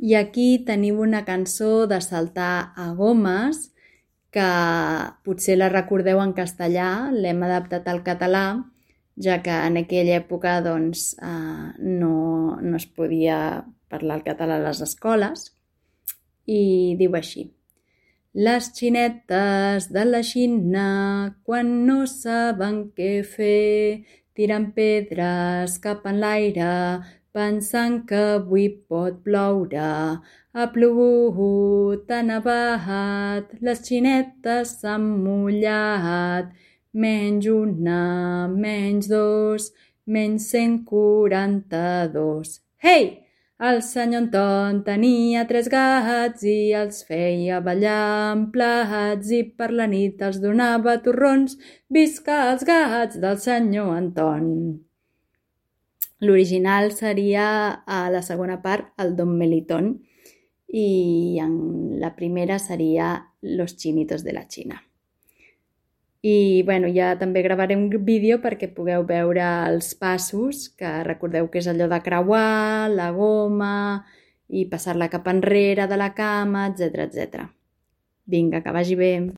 I aquí teniu una cançó de saltar a gomes que potser la recordeu en castellà, l'hem adaptat al català, ja que en aquella època no es podia parlar el català a les escoles, i diu així: les xinetes de la Xina, quan no saben què fer, tiren pedres cap en l'aire, pensant que avui pot ploure. Ha plogut, ha nevat, les xinetes s'han mullat, menys una, menys dos, menys 142. Hei! El senyor Anton tenia 3 gats i els feia ballar en plats i per la nit els donava torrons. Visca els gats del senyor Anton! L'original seria a la segona part el Don Melitón i en la primera seria Los Chinitos de la Xina. I ja també gravaré un vídeo perquè pugueu veure els passos, que recordeu que és allò de creuar, la goma i passar-la cap enrere de la cama, etc. Vinga, que vagi bé!